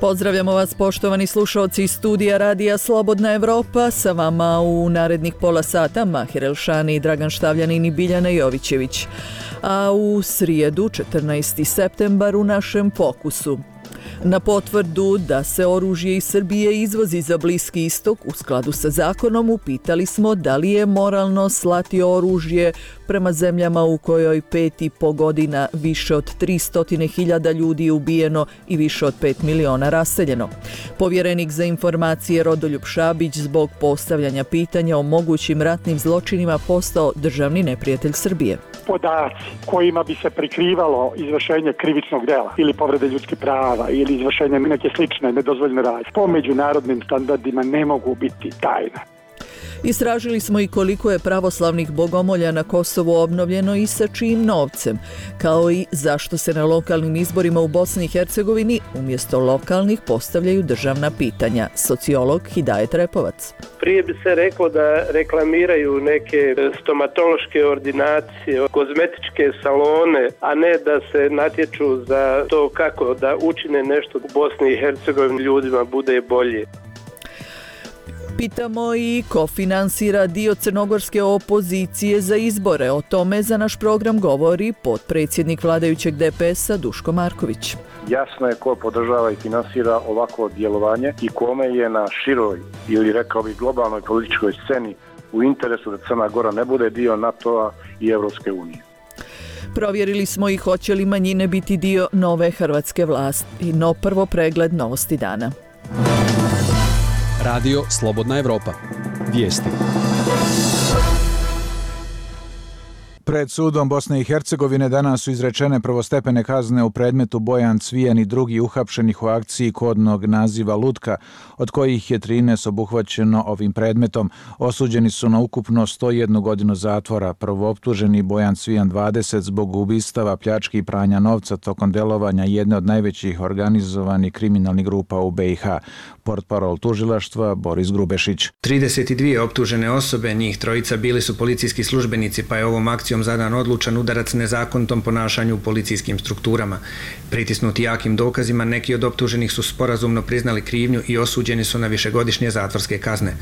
Pozdravljamo vas poštovani slušaoci iz studija Radija Slobodna Evropa, sa vama u narednih pola sata Mahir Elšani, Dragan Štavljanin i Biljana Jovićević. A u srijedu, 14. septembar, u našem fokusu. Na potvrdu da se oružje iz Srbije izvozi za Bliski istok u skladu sa zakonom, upitali smo da li je moralno slati oružje prema zemljama u kojoj 5,5 godina više od 300.000 ljudi je ubijeno i više od 5 miliona raseljeno. Povjerenik za informacije Rodoljub Šabić zbog postavljanja pitanja o mogućim ratnim zločinima postao državni neprijatelj Srbije. Podaci kojima bi se prikrivalo izvršenje krivičnog dela ili povrede ljudskih prava ili izvršenje neke slične nedozvoljene radnje po međunarodnim standardima ne mogu biti tajna. Istražili smo i koliko je pravoslavnih bogomolja na Kosovu obnovljeno i sa čijim novcem, kao i zašto se na lokalnim izborima u Bosni i Hercegovini umjesto lokalnih postavljaju državna pitanja. Sociolog Hidajet Repovac. Prije bi se reklo da reklamiraju neke stomatološke ordinacije, kozmetičke salone, a ne da se natječu za to kako da učine nešto u Bosni i Hercegovini ljudima bude bolje. Pitamo i ko finansira dio crnogorske opozicije za izbore. O tome za naš program govori potpredsjednik vladajućeg DPS-a Duško Marković. Jasno je ko podržava i finansira ovako djelovanje i kome je na široj ili rekao bih globalnoj političkoj sceni u interesu da Crna Gora ne bude dio NATO-a i Europske unije. Provjerili smo i hoće li manjine biti dio nove hrvatske vlasti. No prvo pregled novosti dana. Radio Slobodna Evropa. Vijesti. Pred sudom Bosne i Hercegovine danas su izrečene prvostepene kazne u predmetu Bojan Cvijan i drugi uhapšenih u akciji kodnog naziva Lutka, od kojih je 13 obuhvaćeno ovim predmetom. Osuđeni su na ukupno 101 godinu zatvora. Prvooptuženi Bojan Cvijan 20 zbog ubistava, pljački i pranja novca tokom delovanja jedne od najvećih organizovanih kriminalnih grupa u BiH. Portparol tužilaštva Boris Grubešić. 32 optužene osobe, njih trojica bili su policijski službenici, pa je ovom akcijom zadan odlučan udarac nezakonitom ponašanju u policijskim strukturama. Pritisnuti jakim dokazima, neki od optuženih su sporazumno priznali krivnju i osuđeni su na višegodišnje zatvorske kazne.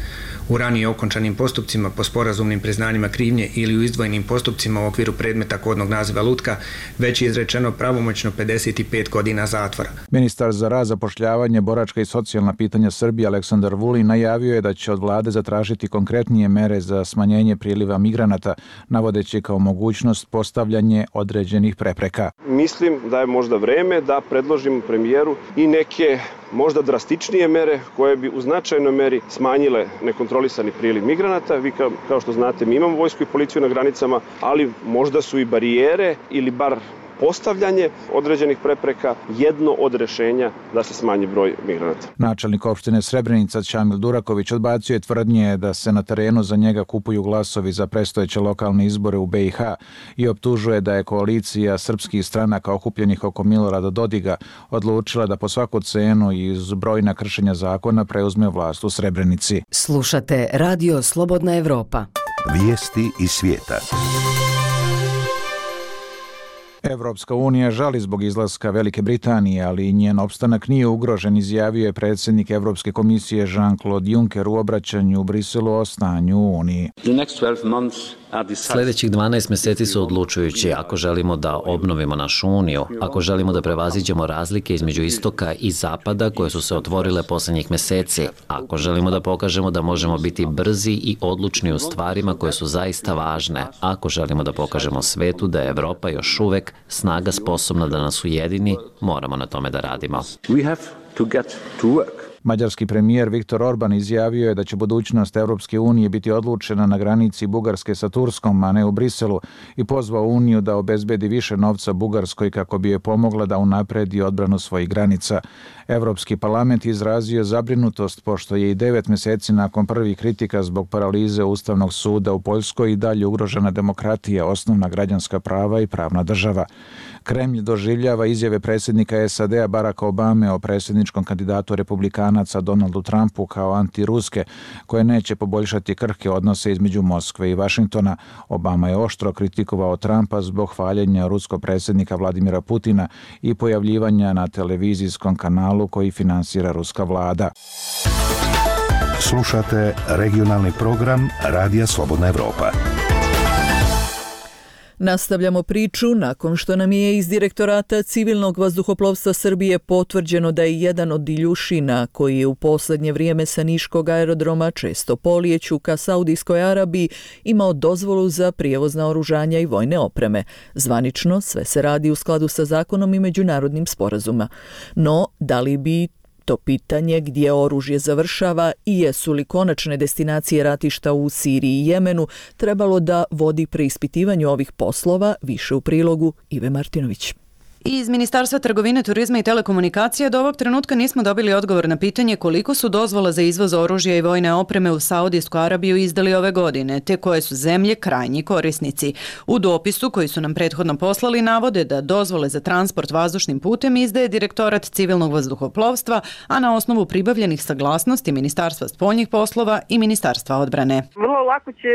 U ranije okončanim postupcima po sporazumnim priznanjima krivnje ili u izdvojenim postupcima u okviru predmeta kodnog naziva Lutka već je izrečeno pravomoćno 55 godina zatvora. Ministar za rad, zapošljavanje, boračka i socijalna pitanja Srbije Aleksandar Vulin najavio je da će od vlade zatražiti konkretnije mere za smanjenje priliva migranata, navodeći kao mogućnost postavljanje određenih prepreka. Mislim da je možda vreme da predložimo premijeru i neke možda drastičnije mere koje bi u značajnoj meri smanjile nekontrolisani priliv migranata. Vi kao što znate, mi imamo vojsku i policiju na granicama, ali možda su i barijere ili bar postavljanje određenih prepreka jedno od rješenja da se smanji broj migranata. Načelnik opštine Srebrenica Čamil Duraković odbacio je tvrdnje da se na terenu za njega kupuju glasovi za predstojeće lokalne izbore u BiH i optužuje da je koalicija srpskih stranaka okupljenih oko Milorada Dodiga odlučila da po svaku cenu i uz brojna kršenja zakona preuzme vlast u Srebrenici. Slušate Radio Slobodna Evropa. Vijesti iz svijeta. Evropska unija žali zbog izlaska Velike Britanije, ali njen opstanak nije ugrožen, izjavio je predsjednik Evropske komisije Jean-Claude Juncker u obraćanju u Briselu o stanju u Uniji. Sljedećih 12 mjeseci su odlučujući ako želimo da obnovimo našu uniju, ako želimo da prevaziđemo razlike između istoka i zapada koje su se otvorile posljednjih mjeseci, ako želimo da pokažemo da možemo biti brzi i odlučni u stvarima koje su zaista važne, ako želimo da pokažemo svetu da je Evropa još uvek snaga sposobna da nas ujedini, moramo na tome da radimo. Mađarski premijer Viktor Orban izjavio je da će budućnost Evropske unije biti odlučena na granici Bugarske sa Turskom, a ne u Briselu, i pozvao Uniju da obezbedi više novca Bugarskoj kako bi je pomogla da unapredi odbranu svojih granica. Evropski parlament izrazio zabrinutost pošto je i 9 mjeseci nakon prvih kritika zbog paralize Ustavnog suda u Poljskoj i dalje ugrožena demokratija, osnovna građanska prava i pravna država. Kremlj doživljava izjave predsjednika SAD-a Baracka Obame o predsjedničkom kandidatu republikanaca Donaldu Trumpu kao antiruske, koje neće poboljšati krhke odnose između Moskve i Vašingtona. Obama je oštro kritikovao Trumpa zbog hvaljenja ruskog predsjednika Vladimira Putina i pojavljivanja na televizijskom kanalu koji finansira ruska vlada. Slušate regionalni program Radija Slobodna Evropa. Nastavljamo priču nakon što nam je iz Direktorata civilnog vazduhoplovstva Srbije potvrđeno da je jedan od Iljušina, koji je u posljednje vrijeme sa niškog aerodroma često polijeću ka Saudijskoj Arabiji, imao dozvolu za prijevoz naoružanja i vojne opreme. Zvanično sve se radi u skladu sa zakonom i međunarodnim sporazuma. No, da li bi to pitanje gdje oružje završava i jesu li konačne destinacije ratišta u Siriji i Jemenu trebalo da vodi preispitivanju ovih poslova, više u prilogu Ive Martinović. Iz Ministarstva trgovine, turizma i telekomunikacija do ovog trenutka nismo dobili odgovor na pitanje koliko su dozvola za izvoz oružja i vojne opreme u Saudijsku Arabiju izdali ove godine, te koje su zemlje krajnji korisnici. U dopisu koji su nam prethodno poslali navode da dozvole za transport vazdušnim putem izdaje Direktorat civilnog vazduhoplovstva, a na osnovu pribavljenih saglasnosti Ministarstva spoljnih poslova i Ministarstva odbrane. Vrlo lako će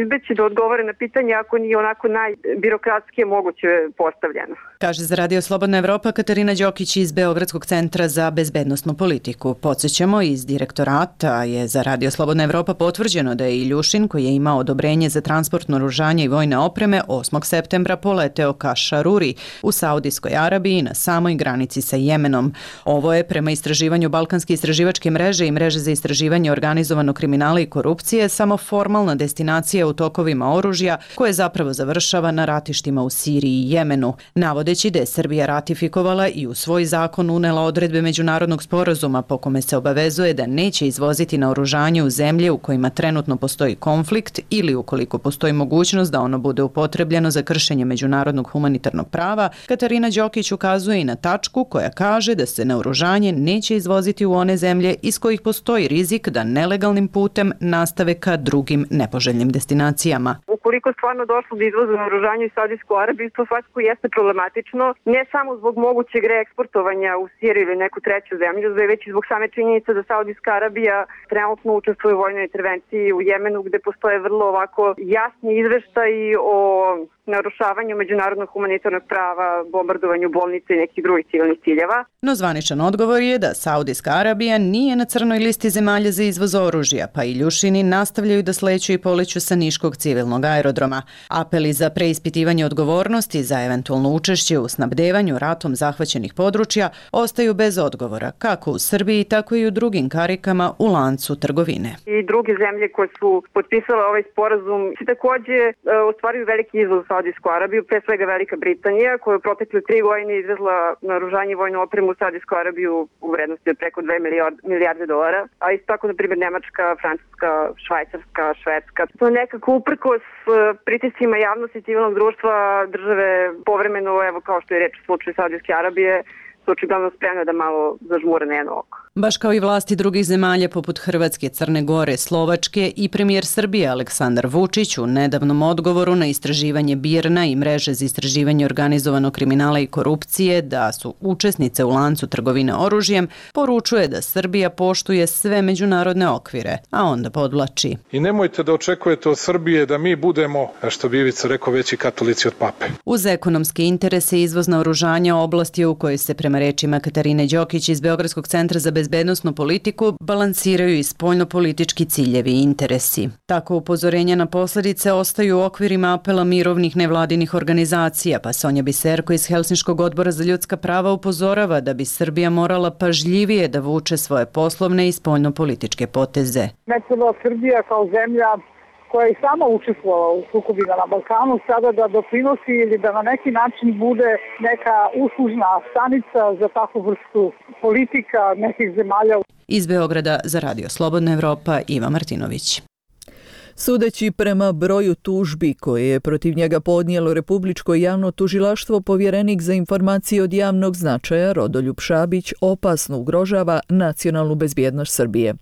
izbeći da odgovore na pitanje ako nije onako najbirokratskije moguće postavljeno. Kaže za Radio Slobodna Evropa Katarina Đokić iz Beogradskog centra za bezbednosnu politiku. Podsjećamo, iz Direktorata je za Radio Slobodna Evropa potvrđeno da je Iljušin, koji je imao odobrenje za transport naoružanja i vojne opreme, 8. septembra poleteo ka Šaruri u Saudijskoj Arabiji na samoj granici sa Jemenom. Ovo je, prema istraživanju Balkanske istraživačke mreže i mreže za istraživanje organizovanog kriminala i korupcije, samo formalna destinacija u tokovima oružja koje zapravo završava na ratištima u Siriji i Jemenu. Navodeći da je Srbija ratifikovala i u svoj zakon unela odredbe međunarodnog sporazuma po kome se obavezuje da neće izvoziti naoružanje u zemlje u kojima trenutno postoji konflikt ili ukoliko postoji mogućnost da ono bude upotrebljeno za kršenje međunarodnog humanitarnog prava, Katarina Đokić ukazuje i na tačku koja kaže da se naoružanje neće izvoziti u one zemlje iz kojih postoji rizik da nelegalnim putem nastave ka drugim nepoželjnim destinacijama. Ukoliko stvarno došlo do izvoza naoružanja u Saudijsku Arabiju, to svakako jeste problematično, ne samo zbog mogućeg reeksportovanja u Siriju ili neku treću zemlju, već i zbog same činjenice da Saudijska Arabija trenutno učestvuje u vojnoj intervenciji u Jemenu, gde postoje vrlo ovako jasni izveštaji o narušavanju međunarodnog humanitarnog prava, bombardovanju bolnice i nekih drugih civilnih ciljeva. No zvaničan odgovor je da Saudijska Arabija nije na crnoj listi zemalja za izvoz oružja, pa Iljušini nastavljaju da sleću i poleću sa niškog civilnog aerodroma. Apeli za preispitivanje odgovornosti za eventualno učešće u snabdevanju ratom zahvaćenih područja ostaju bez odgovora, kako u Srbiji, tako i u drugim karikama u lancu trgovine. I druge zemlje koje su potpisale ovaj sporazum također ostvaruju veliki izvoz u Saudijsku Arabiju, pre svega Velika Britanija, koja je u protekle 3 godine izvezla naoružanje i vojnu opremu u Saudijsku Arabiju u vrednosti od preko 2 milijarde dolara, a isto tako, na primjer, Nemačka, Francuska, Švajcarska, Švedska. To nekako uprkos pritiscima javnosti civilnog društva države povremeno, evo kao što je reč u slučaju Saudijske Arabije, su očigledno spremne da malo zažmure na jedno oko. Baš kao i vlasti drugih zemalja poput Hrvatske, Crne Gore, Slovačke i premijer Srbije Aleksandar Vučić u nedavnom odgovoru na istraživanje BIRN-a i mreže za istraživanje organizovanog kriminala i korupcije da su učesnice u lancu trgovine oružjem, poručuje da Srbija poštuje sve međunarodne okvire, a onda podvlači. I nemojte da očekujete od Srbije da mi budemo, što bi Ivica rekao, veći katolici od pape. Uz ekonomske interese izvoz naoružanja oblasti u kojoj se, prema rečima Katarine Đokić iz Beogradskog centra za bezbednosnu politiku, balansiraju i spoljnopolitički ciljevi i interesi. Tako upozorenja na posljedice ostaju u okvirima apela mirovnih nevladinih organizacija, pa Sonja Biserko iz Helsinškog odbora za ljudska prava upozorava da bi Srbija morala pažljivije da vuče svoje poslovne i spoljnopolitičke poteze. Ne treba Srbija kao zemlja koja je sama učestvovala u sukobima na Balkanu, sada da doprinosi ili da na neki način bude neka uslužna stanica za takvu vrstu politika nekih zemalja. Iz Beograda za Radio Slobodna Evropa, Iva Martinović. Sudeći prema broju tužbi koje je protiv njega podnijelo Republičko javno tužilaštvo, povjerenik za informacije od javnog značaja Rodoljub Šabić opasno ugrožava nacionalnu bezbjednost Srbije.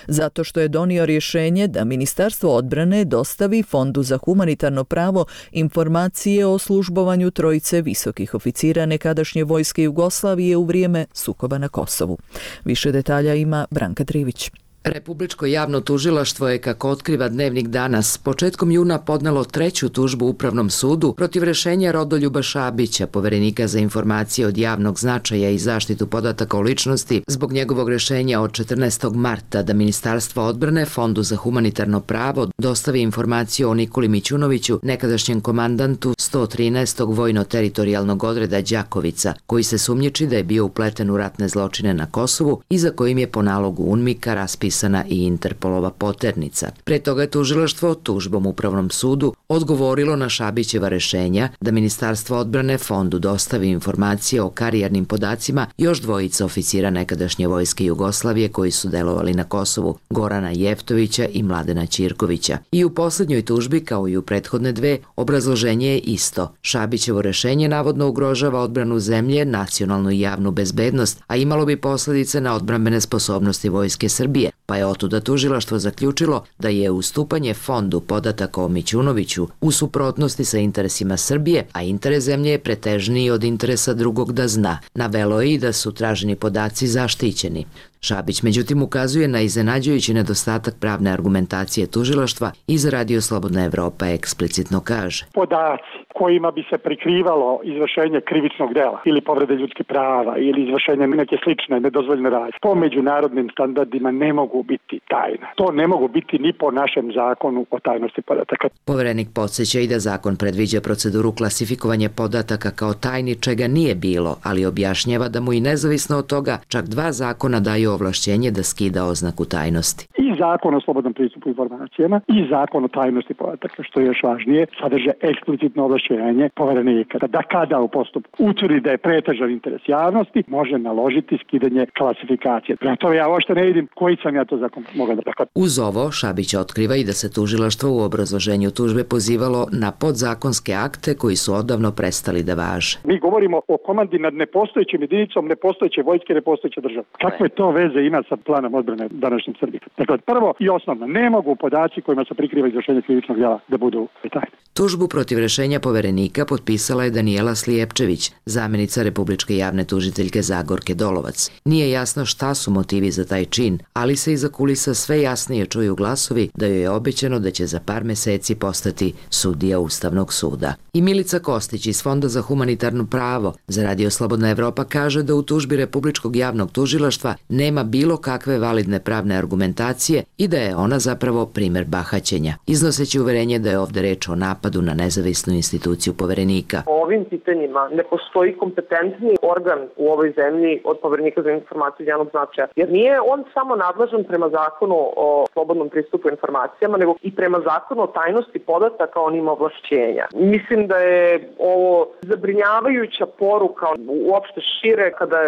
Zato što je donio rješenje da Ministarstvo odbrane dostavi Fondu za humanitarno pravo informacije o službovanju trojice visokih oficira nekadašnje vojske Jugoslavije u vrijeme sukoba na Kosovu. Više detalja ima Branka Trivić. Republičko javno tužilaštvo je, kako otkriva Dnevnik danas, početkom juna podnelo 3. tužbu Upravnom sudu protiv rješenja Rodoljuba Šabića, poverenika za informacije od javnog značaja i zaštitu podataka o ličnosti, zbog njegovog rješenja od 14. marta da Ministarstvo odbrane Fondu za humanitarno pravo dostavi informaciju o Nikoli Mićunoviću, nekadašnjem komandantu 113. vojno-teritorijalnog odreda Đakovica, koji se sumnjiči da je bio upleten u ratne zločine na Kosovu i za kojim je po nalogu UNMIK-a raspisana i Interpolova poternica. Pre toga je tužilaštvo tužbom Upravnom sudu odgovorilo na Šabićeva rješenja da Ministarstvo odbrane Fondu dostavi informacije o karijernim podacima još dvojica oficira nekadašnje vojske Jugoslavije koji su delovali na Kosovu, Gorana Jeftovića i Mladena Ćirkovića. I u posljednjoj tužbi, kao i u prethodne dve, obrazloženje je isto. Šabićevo rješenje navodno ugrožava odbranu zemlje, nacionalnu i javnu bezbednost, a imalo bi posljedice na odbrambene sposobnosti vojske Srbije, pa je otuda tužilaštvo zaključilo da je ustupanje fondu podataka o Mićunoviću u suprotnosti sa interesima Srbije, a interes zemlje je pretežniji od interesa drugog da zna. Navelo je i da su traženi podaci zaštićeni. Šabić međutim ukazuje na iznenađujući nedostatak pravne argumentacije tužilaštva i za Radio Slobodna Evropa eksplicitno kaže: Podaci kojima bi se prikrivalo izvršenje krivičnog dela ili povrede ljudskih prava ili izvršenje neke slične nedozvoljene radnje po međunarodnim standardima ne mogu biti tajna. To ne mogu biti ni po našem zakonu o tajnosti podataka. Poverenik podsjeća i da zakon predviđa proceduru klasifikovanja podataka kao tajni, čega nije bilo, ali objašnjava da mu i nezavisno od toga čak 2 zakona daju ovlašćenje da skida oznaku tajnosti. I zakon o slobodnom pristupu informacijama i zakon o tajnosti podataka, što je još važnije, sadrže eksplicitno ovlašćenje poverenika da kada u postupku utvrdi da je pretežan interes javnosti, može naložiti skidanje klasifikacije. Prema tome ja uopšte ne vidim koji sam ja to zakon mogao da prihvatim. Uz ovo, Šabić otkriva i da se tužilaštvo u obrazloženju tužbe pozivalo na podzakonske akte koji su odavno prestali da važe. Mi govorimo o komandi nad nepostojećim jedinicom, nepostojeće vojske, nepostojeće države. Kakve to veze ima sa planom odbrane današnjim Srbije? Dakle, prvo i osnovno, ne mogu podaci kojima se prikriva izvršenje krivičnog djela da budu tajni. Tužbu protiv rješenja poverenika potpisala je Danijela Slijepčević, zamjenica Republičke javne tužiteljke Zagorke Dolovac. Nije jasno šta su motivi za taj čin, ali se iza kulisa sve jasnije čuju glasovi da joj je obećano da će za par meseci postati sudija Ustavnog suda. I Milica Kostić iz Fonda za humanitarno pravo za Radio Slobodna Evropa kaže da u tužbi Republičkog javnog tužilaštva nema bilo kakve validne pravne argumentacije i da je ona zapravo primer bahaćenja, iznoseći uverenje da je ovdje reč o napadu na nezavisnu instituciju poverenika. O ovim pitanjima ne postoji kompetentni organ u ovoj zemlji od poverenika za informaciju od javnog značaja, jer nije on samo nadležan prema zakonu o slobodnom pristupu informacijama, nego i prema zakonu o tajnosti podataka on ima ovlašćenja. Mislim da je ovo zabrinjavajuća poruka uopšte šire kada,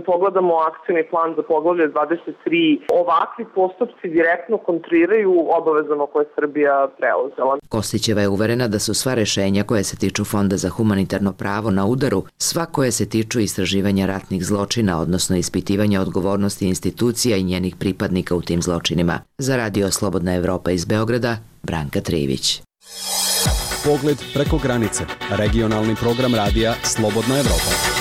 pogledamo akcijni plan za poglavlje 23, ovakvi postupci direktno kontriraju obavezama koje je Srbija preuzela. Kostićeva je uverena da su sva rješenja koje se tiču Fonda za humanitarno pravo na udaru, sva koje se tiču istraživanja ratnih zločina, odnosno ispitivanja odgovornosti institucija i njenih pripadnika u tim zločinima. Za Radio Slobodna Evropa iz Beograda, Branka Trivić. Pogled preko granice. Regionalni program radija Slobodna Evropa.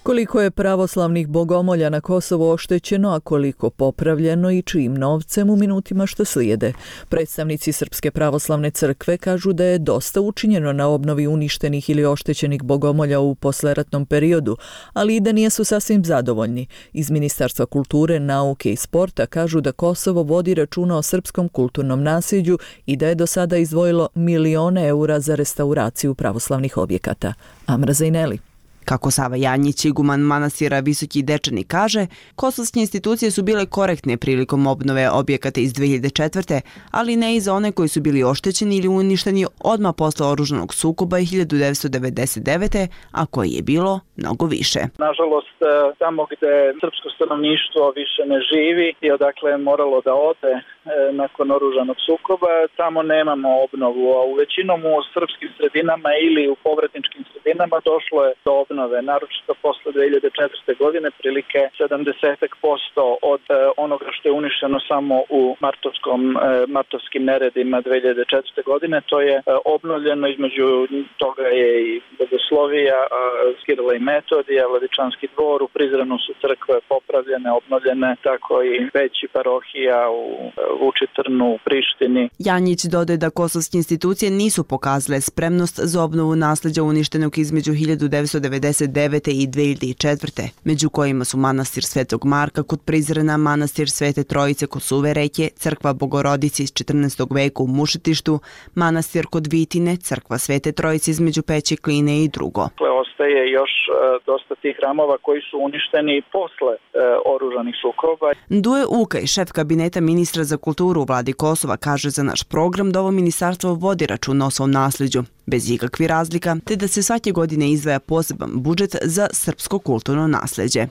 Koliko je pravoslavnih bogomolja na Kosovo oštećeno, a koliko popravljeno i čijim novcem u minutima što slijede. Predstavnici Srpske pravoslavne crkve kažu da je dosta učinjeno na obnovi uništenih ili oštećenih bogomolja u posleratnom periodu, ali i da nisu sasvim zadovoljni. Iz Ministarstva kulture, nauke i sporta kažu da Kosovo vodi računa o srpskom kulturnom nasljeđu i da je do sada izdvojilo milione eura za restauraciju pravoslavnih objekata. Amra Zajneli. Kako Sava Janjić, iguman manastira Visoki Dečani, kaže, kosovske institucije su bile korektne prilikom obnove objekata iz 2004. ali ne i za one koji su bili oštećeni ili uništeni odmah posle oružanog sukoba 1999. a koji je bilo mnogo više. Nažalost, tamo gde srpsko stanovništvo više ne živi i odakle je moralo da ode nakon oružanog sukoba. Tamo nemamo obnovu, a u većinom u srpskim sredinama ili u povratničkim sredinama došlo je do obnove, naročito posle 2004. godine, prilike 70% od onoga što je uništeno samo u martovskim neredima 2004. godine. To je obnovljeno, između toga je i Bogoslovija, Kirila i Metodija, Vladičanski dvor, u Prizrenu su crkve popravljene, obnovljene, tako i veći parohija u Vučitrnu, u Prištini. Janjić dodaje da kosovske institucije nisu pokazale spremnost za obnovu nasleđa uništenog između 1999. i 2004. među kojima su manastir Svetog Marka kod Prizrena, manastir Svete Trojice kod Suve reke, crkva Bogorodice iz 14. veka u Mušetištu, manastir kod Vitine, crkva Svete Trojice između Peće Kline i drugo. Ostaje još dosta tih hramova koji su uništeni posle oružanih sukoba. Duje Ukaj, šef kabineta ministra za kulturu u vladi Kosova, kaže za naš program da ovo ministarstvo vodi računa o svom nasleđu, bez ikakvih razlika, te da se svake godine izdvaja poseban budžet za srpsko kulturno nasleđe.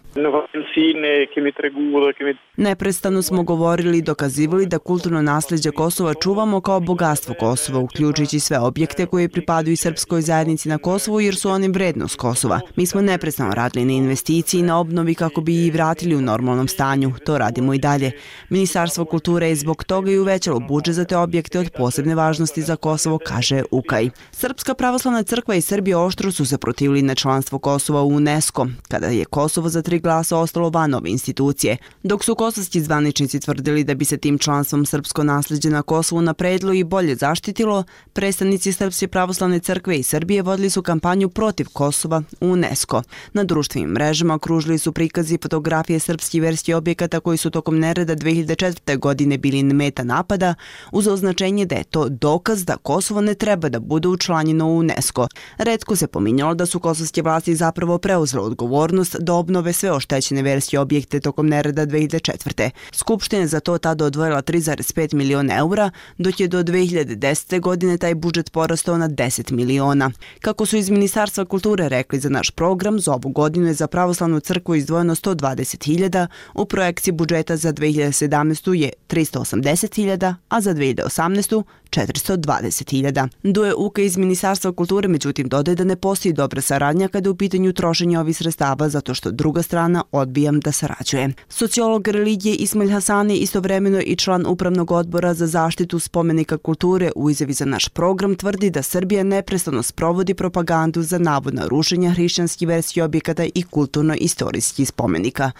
Neprestano smo govorili i dokazivali da kulturno nasleđe Kosova čuvamo kao bogatstvo Kosova, uključujući sve objekte koje pripadaju srpskoj zajednici na Kosovu jer su oni vrednost Kosova. Mi smo neprestano radili na investiciji i na obnovi kako bi ih vratili u normalnom stanju. To radimo i dalje. Ministarstvo kulture je zbog toga i uvećalo budžet za te objekte od posebne važnosti za Kosovo, kaže Ukaj. Srpska pravoslavna crkva i Srbija oštro su se protivili na članstvo Kosova u UNESCO, kada je Kosovo za 3 glasa ostalo van ove institucije, dok su kosovski zvaničnici tvrdili da bi se tim članstvom srpsko nasleđe na Kosovu napredilo i bolje zaštitilo. Predstavnici Srpske pravoslavne crkve i Srbije vodili su kampanju protiv Kosova u UNESCO. Na društvenim mrežama okružili su prikazi fotografije srpskih verskih objekata koji su tokom nereda 2004. godine bili meta napada, uz označenje da je to dokaz da Kosovo ne treba da bude učlanjeno u UNESCO. Retko se pominjalo da su kosovske vlasti zapravo preuzele odgovornost da obnove sve oštećene verske objekte tokom nereda 2004. Skupština je za to tada odvojila 3,5 miliona eura, dok je do 2010. godine taj budžet porastao na 10 miliona. Kako su iz Ministarstva kulture rekli za naš program, za ovu godinu je za pravoslavnu crkvu izdvojeno 120.000, u projekciji budžeta za 2017. je 380.000, a za 2018. 420.000. Duje Uka iz Ministarstva kulture, međutim dodaje da ne postoji dobra saradnja kada je u pitanju trošenja ovih sredstava zato što druga strana odbija da sarađuje. Sociolog religije Ismail Hasani istovremeno i član Upravnog odbora za zaštitu spomenika kulture u izjavi za naš program tvrdi da Srbija neprestano sprovodi propagandu za navodna rušenja hrišćanskih verskih objekata i kulturno-istorijskih spomenika.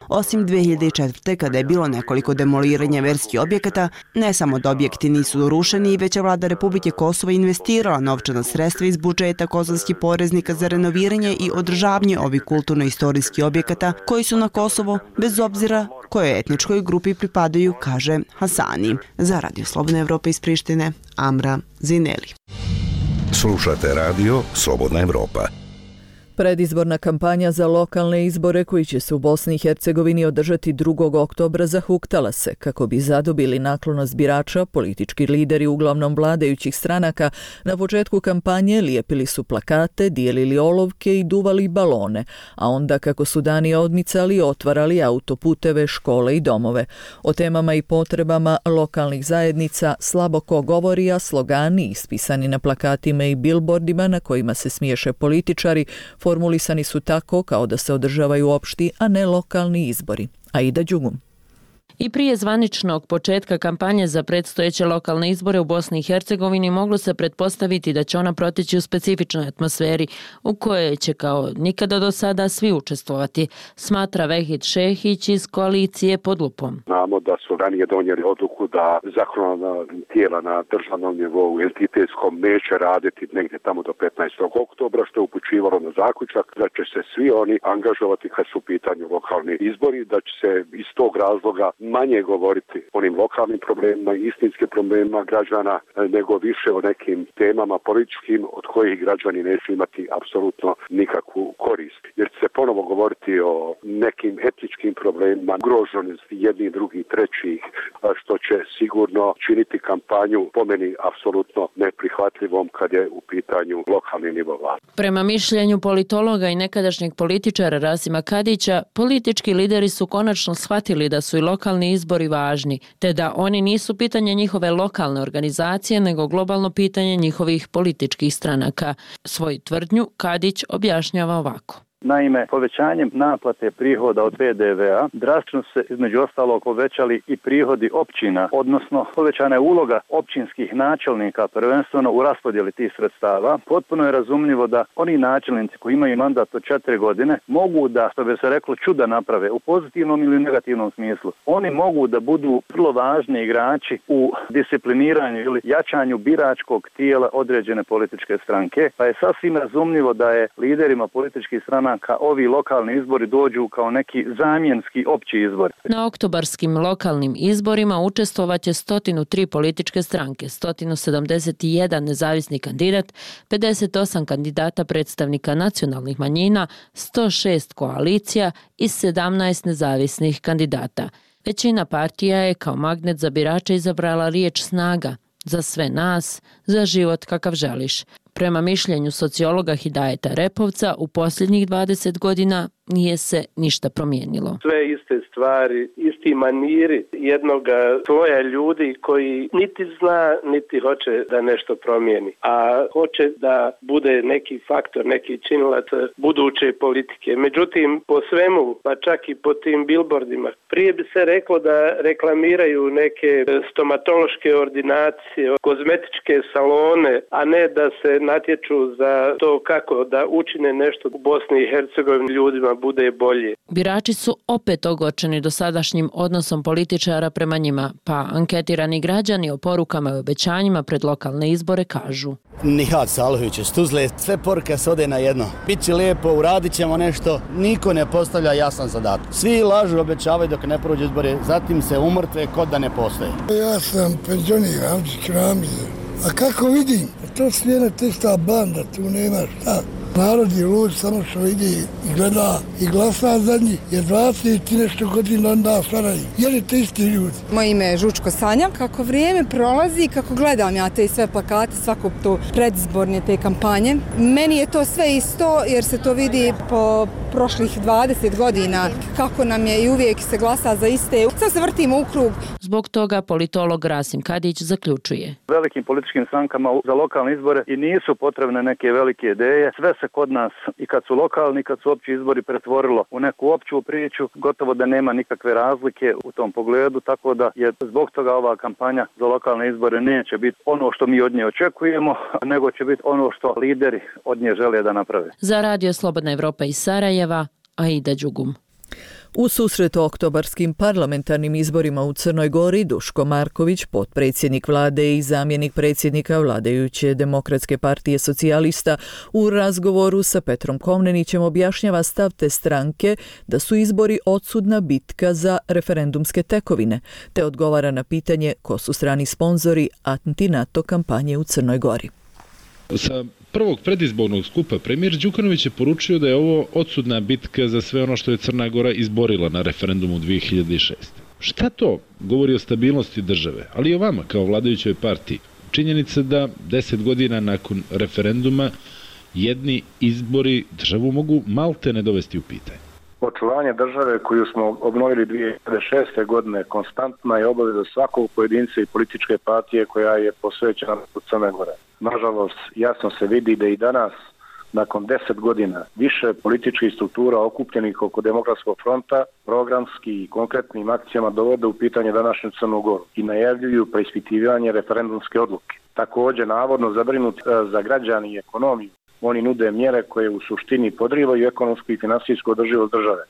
Osim 2004. kada je bilo nekoliko demoliranja verskih objekata, ne samo da objekti nisu rušeni, već je vlada Republike Kosova investirala novčana sredstva iz budžeta kosovskih poreznika za renoviranje i održavanje ovih kulturno-istorijskih objekata koji su na Kosovo, bez obzira kojoj etničkoj grupi pripadaju, kaže Hasani. Za Radio Slobodna Evropa iz Prištine, Amra Zineli. Slušate Radio Slobodna Evropa. Predizborna kampanja za lokalne izbore koji će se u Bosni i Hercegovini održati 2. oktobra zahuktala se. Kako bi zadobili naklonost birača, politički lideri uglavnom vladajućih stranaka na početku kampanje lijepili su plakate, dijelili olovke i duvali balone, a onda kako su dani odmicali, otvarali autoputeve, škole i domove. O temama i potrebama lokalnih zajednica slabo ko govori, a slogani ispisani na plakatima i bilbordima na kojima se smiješe političari formulisani su tako kao da se održavaju opšti, a ne lokalni izbori. Aida Đugum. I prije zvaničnog početka kampanje za predstojeće lokalne izbore u Bosni i Hercegovini moglo se pretpostaviti da će ona proteći u specifičnoj atmosferi u kojoj će kao nikada do sada svi učestvovati, smatra Vehid Šehić iz koalicije Pod lupom. Znamo da su ranije donijeli odluku da zakonodavna tijela na državnom nivou entitetskom neće raditi negdje tamo do 15. oktobra, što je upućivalo na zaključak da će se svi oni angažovati kad su u pitanju lokalni izbori, da će se iz tog razloga manje govoriti o onim lokalnim problemima, istinskim problemima građana, nego više o nekim temama političkim od kojih građani neće imati apsolutno nikakvu korist. Jer će se ponovo govoriti o nekim etičkim problemima, ugroženosti jednih, drugih, trećih, što će sigurno činiti kampanju po meni apsolutno neprihvatljivom kad je u pitanju lokalni nivo vlasti. Prema mišljenju politologa i nekadašnjeg političara Rasima Kadića, politički lideri su konačno shvatili da su i lokalni izbori važni, te da oni nisu pitanje njihove lokalne organizacije, nego globalno pitanje njihovih političkih stranaka. Svoju tvrdnju Kadić objašnjava ovako. Naime, povećanjem naplate prihoda od PDV-a drastično se između ostalog povećali i prihodi općina, odnosno povećana je uloga općinskih načelnika prvenstveno u raspodjeli tih sredstava. Potpuno je razumljivo da oni načelnici koji imaju mandat od 4 godine mogu da, što bi se reklo, čuda naprave u pozitivnom ili negativnom smislu. Oni mogu da budu vrlo važni igrači u discipliniranju ili jačanju biračkog tijela određene političke stranke, pa je sasvim razumljivo da je liderima političkih stranaka ovi lokalni izbori dođu kao neki zamjenski opći izbor. Na oktobarskim lokalnim izborima učestvovaće 103 političke stranke, 171 nezavisni kandidat, 58 kandidata predstavnika nacionalnih manjina, 106 koalicija i 17 nezavisnih kandidata. Većina partija je kao magnet za birače izabrala riječ snaga, za sve nas, za život kakav želiš. Prema mišljenju sociologa Hidajeta Repovca, u posljednjih 20 godina nije se ništa promijenilo. Sve iste stvari, isti maniri jednoga sloja ljudi koji niti zna, niti hoće da nešto promijeni, a hoće da bude neki faktor, neki činilac buduće politike. Međutim, po svemu, pa čak i po tim billboardima, prije bi se reklo da reklamiraju neke stomatološke ordinacije, kozmetičke salone, a ne da se natječu za to kako da učine nešto u Bosni i Hercegovini ljudima bude bolje. Birači su opet ogorčeni dosadašnjim odnosom političara prema njima, pa anketirani građani o porukama i obećanjima pred lokalne izbore kažu. Nihat Salihović iz Tuzle, sve poruke se ode na jedno. Biće lijepo, uradit ćemo nešto, niko ne postavlja jasan zadatak. Svi lažu, obećavaju dok ne prođu izbore, zatim se umrtve kod da ne postoje. Ja sam penzioniran, a kako vidim, to slijena testa banda, tu nema šta. Narod je lud, samo što vidi i gleda i glasa za njih, jer 20 i nešto godina onda staraju. Jer je te isti ljudi. Moje ime je Žučko Sanja. Kako vrijeme prolazi, kako gledam ja te sve plakate, svako to predizborne te kampanje, meni je to sve isto jer se to vidi po prošlih 20 godina kako nam je i uvijek se glasa za iste. Sad se vrtimo u krug. Zbog toga politolog Rasim Kadić zaključuje. Velikim političkim strankama za lokalne izbore i nisu potrebne neke velike ideje. Sve se kod nas i kad su lokalni, kad su opći izbori pretvorilo u neku opću priču, gotovo da nema nikakve razlike u tom pogledu, tako da je zbog toga ova kampanja za lokalne izbore neće biti ono što mi od nje očekujemo, nego će biti ono što lideri od nje žele da naprave. Za Radio Slobodna Evropa iz Sarajeva, Aida Đugum. U susretu oktobarskim parlamentarnim izborima u Crnoj Gori, Duško Marković, potpredsjednik vlade i zamjenik predsjednika vladajuće Demokratske partije socijalista, u razgovoru sa Petrom Komnenićem objašnjava stav te stranke da su izbori odsudna bitka za referendumske tekovine, te odgovara na pitanje ko su strani sponzori anti-NATO kampanje u Crnoj Gori. Sa prvog predizbornog skupa premijer Đukanović je poručio da je ovo odsudna bitka za sve ono što je Crna Gora izborila na referendumu 2006. Šta to govori o stabilnosti države, ali i o vama kao vladajućoj partiji? Činjenica da 10 godina nakon referenduma jedni izbori državu mogu malte ne dovesti u pitanje. Očuvanje države koju smo obnovili 2006. godine konstantna je obaveza svakog pojedinca i političke partije koja je posvećena u Crne Gore. Nažalost, jasno se vidi da i danas, nakon 10 godina, više političkih struktura okupljenih oko Demokratskog fronta programski i konkretnim akcijama dovode u pitanje današnju Crnu Goru i najavljuju preispitivanje referendumske odluke. Također, navodno zabrinuti za građani i ekonomiju, oni nude mjere koje u suštini podrivaju ekonomsku i finansijsku održivost države.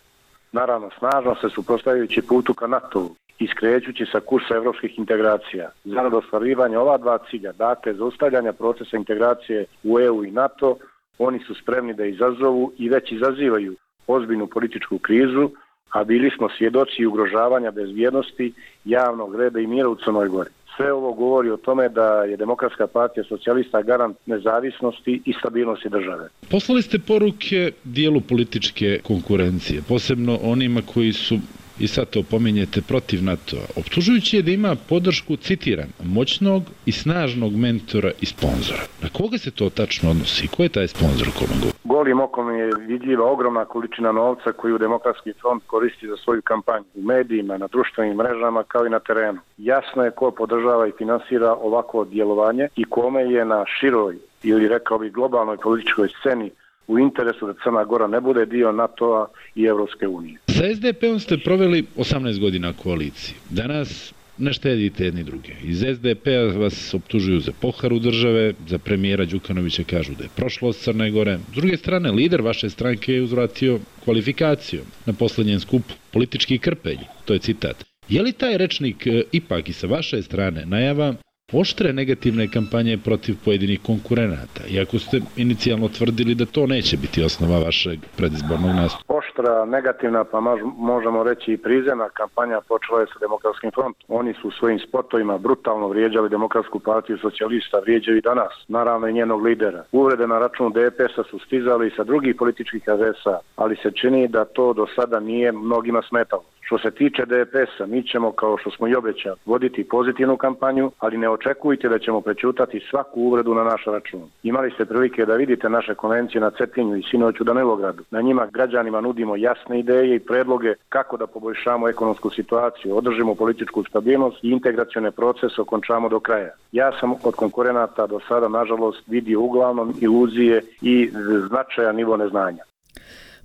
Naravno, snažno se suprotstavljajući putu ka NATO-u i skrećući sa kursa evropskih integracija. Zarad ostvarivanja ova dva cilja, dakle zaustavljanja procesa integracije u EU i NATO, oni su spremni da izazovu i već izazivaju ozbiljnu političku krizu, a bili smo svjedoci ugrožavanja bezbjednosti, javnog reda i mira u Crnoj Gori. Sve ovo govori o tome da je Demokratska partija socijalista garant nezavisnosti i stabilnosti države. Poslali ste poruke dijelu političke konkurencije, posebno onima koji su i sad to pominjete protiv NATO-a, optužujući je da ima podršku, citiram, moćnog i snažnog mentora i sponzora. Na koga se to tačno odnosi? Ko je taj sponzor o kome govori? Golim okom je vidljiva ogromna količina novca koju Demokratski front koristi za svoju kampanju u medijima, na društvenim mrežama kao i na terenu. Jasno je ko podržava i finansira ovako djelovanje i kome je na široj ili rekao bih globalnoj političkoj sceni u interesu da Crna Gora ne bude dio NATO-a i Evropske unije. Sa SDP-om ste proveli 18 godina koaliciji. Danas ne štedite jedni druge. Iz SDP-a vas optužuju za poharu države, za premijera Đukanovića kažu da je prošlost Crne Gore. S druge strane, lider vaše stranke je uzvratio kvalifikacijom na posljednjem skupu politički krpelj. To je citat. Je li taj rečnik ipak i sa vaše strane najava oštre negativne kampanje protiv pojedinih konkurenata, iako ste inicijalno tvrdili da to neće biti osnova vašeg predizbornog nastupa? Oštra, negativna, pa možemo reći i prizemna kampanja počela je sa Demokratskim frontom. Oni su svojim spotovima brutalno vrijeđali Demokratsku partiju socijalista, vrijeđaju i danas, naravno i njenog lidera. Uvrede na račun DPS-a su stizali i sa drugih političkih adresa, ali se čini da to do sada nije mnogima smetalo. Što se tiče DPS-a, mi ćemo, kao što smo i obećali, voditi pozitivnu kampanju, ali ne očekujte da ćemo prečutati svaku uvredu na naš račun. Imali ste prilike da vidite naše konvencije na Cetinju i sinoć u Danilogradu. Na njima građanima nudimo jasne ideje i predloge kako da poboljšamo ekonomsku situaciju, održimo političku stabilnost i integracione procese okončamo do kraja. Ja sam od konkurenata do sada, nažalost, vidio uglavnom iluzije i značajan nivo neznanja.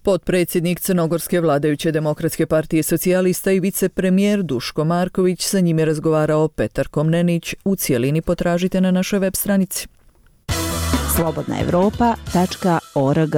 Potpredsjednik Crnogorske vladajuće Demokratske partije socijalista i vicepremijer Duško Marković, sa njim je razgovarao Petar Komnenić. U cijelini potražite na našoj web stranici. slobodnaevropa.org.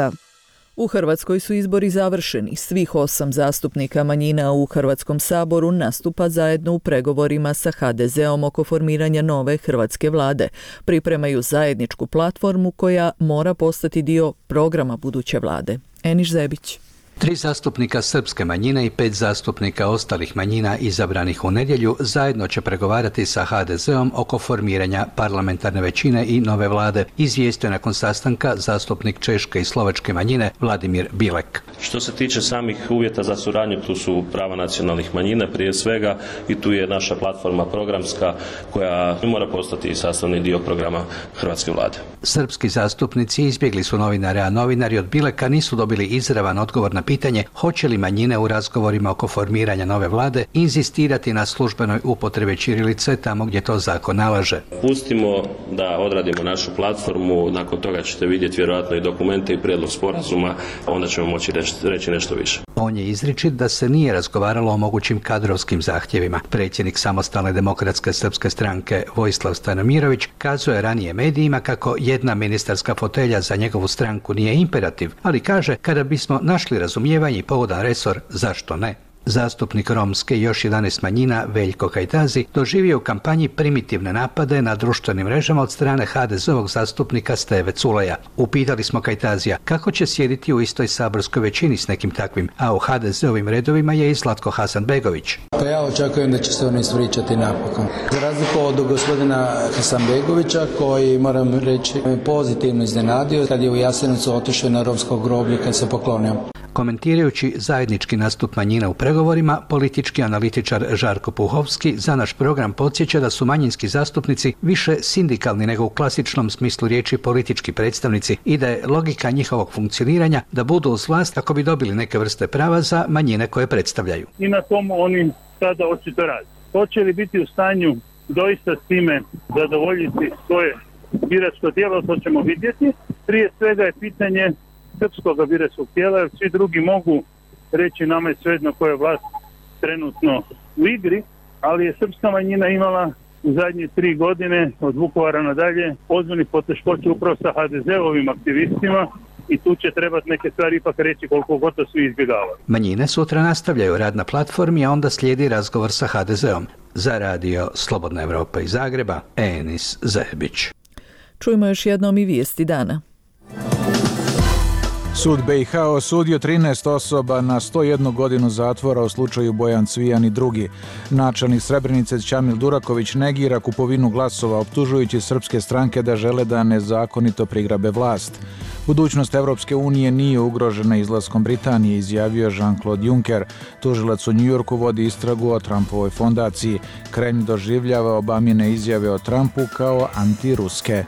U Hrvatskoj su izbori završeni. Svih 8 zastupnika manjina u Hrvatskom saboru nastupa zajedno u pregovorima sa HDZ-om oko formiranja nove hrvatske vlade. Pripremaju zajedničku platformu koja mora postati dio programa buduće vlade. Eniš Zebić. 3 zastupnika srpske manjine i 5 zastupnika ostalih manjina izabranih u nedjelju zajedno će pregovarati sa HDZ-om oko formiranja parlamentarne većine i nove vlade, izvijestio nakon sastanka zastupnik češke i slovačke manjine Vladimir Bilek. Što se tiče samih uvjeta za suradnju, tu su prava nacionalnih manjina prije svega i tu je naša platforma programska koja mora postati sastavni dio programa hrvatske vlade. Srpski zastupnici izbjegli su novinare, a novinari od Bileka nisu dobili izravan odgovor na pitanje hoće li manjine u razgovorima oko formiranja nove vlade inzistirati na službenoj upotrebi ćirilice tamo gdje to zakon nalaže. Pustimo da odradimo našu platformu, nakon toga ćete vidjeti vjerojatno i dokumente i prijedlog sporazuma, onda ćemo moći reći nešto više. On je izričit da se nije razgovaralo o mogućim kadrovskim zahtjevima. Predsjednik Samostalne demokratske srpske stranke Vojislav Stanomirović kazuje ranije medijima kako jedna ministarska fotelja za njegovu stranku nije imperativ, ali kaže kada bismo našli razumijevanje i pogodan resor, zašto ne? Zastupnik romske i još 11 manjina Veljko Kajtazi doživio u kampanji primitivne napade na društvenim mrežama od strane HDZ-ovog zastupnika Steve Culeja. Upitali smo Kajtazija kako će sjediti u istoj saborskoj većini s nekim takvim, a u HDZ-ovim redovima je i Zlatko Hasanbegović. Pa ja očekujem da će se oni ispričati napokon. Za razliku od gospodina Hasanbegovića, koji, moram reći, pozitivno iznenadio kad je u Jasenovcu otišao na romsko groblje kad se poklonio. Komentirajući zajednički nastup manjina u pregovorima, politički analitičar Žarko Puhovski za naš program podsjeća da su manjinski zastupnici više sindikalni nego u klasičnom smislu riječi politički predstavnici i da je logika njihovog funkcioniranja da budu uz vlast kako bi dobili neke vrste prava za manjine koje predstavljaju. I na tomu oni sada očito radi. Hoće li biti u stanju doista s time zadovoljiti svoje biračko tijelo, to ćemo vidjeti. Prije svega je pitanje srpskog biračkog tijela, jer svi drugi mogu reći nama je svejedno koja je vlast trenutno u igri, ali je srpska manjina imala u zadnje 3 godine od Vukovara nadalje ozbiljnih poteškoća upravo sa HDZ-ovim aktivistima i tu će trebati neke stvari ipak reći koliko god to svi izbjegavaju. Manjine sutra nastavljaju rad na platformi, a onda slijedi razgovor sa HDZ-om. Za radio Slobodna Evropa iz Zagreba, Enis Zebić. Čujmo još jednom i vijesti dana. Sud BiH osudio 13 osoba na 101 godinu zatvora u slučaju Bojan Cvijan i drugi. Načelnik Srebrenice Ćamil Duraković negira kupovinu glasova, optužujući srpske stranke da žele da nezakonito prigrabe vlast. Budućnost Evropske unije nije ugrožena izlaskom Britanije, izjavio Jean-Claude Juncker. Tužilac u Njujorku vodi istragu o Trumpovoj fondaciji. Kremlj doživljava Obamine izjave o Trumpu kao antiruske.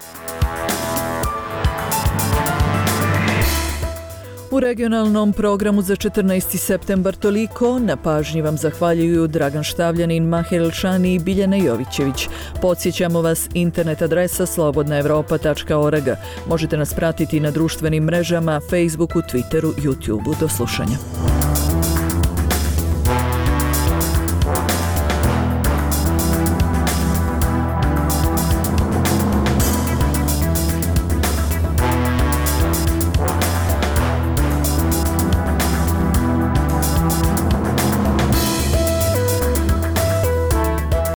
U regionalnom programu za 14. septembar toliko. Na pažnji vam zahvaljuju Dragan Štavljanin, Mahir Elšani i Biljana Jovićević. Podsjećamo vas, internet adresa slobodnaevropa.org. Možete nas pratiti na društvenim mrežama, Facebooku, Twitteru, YouTubeu. Do slušanja.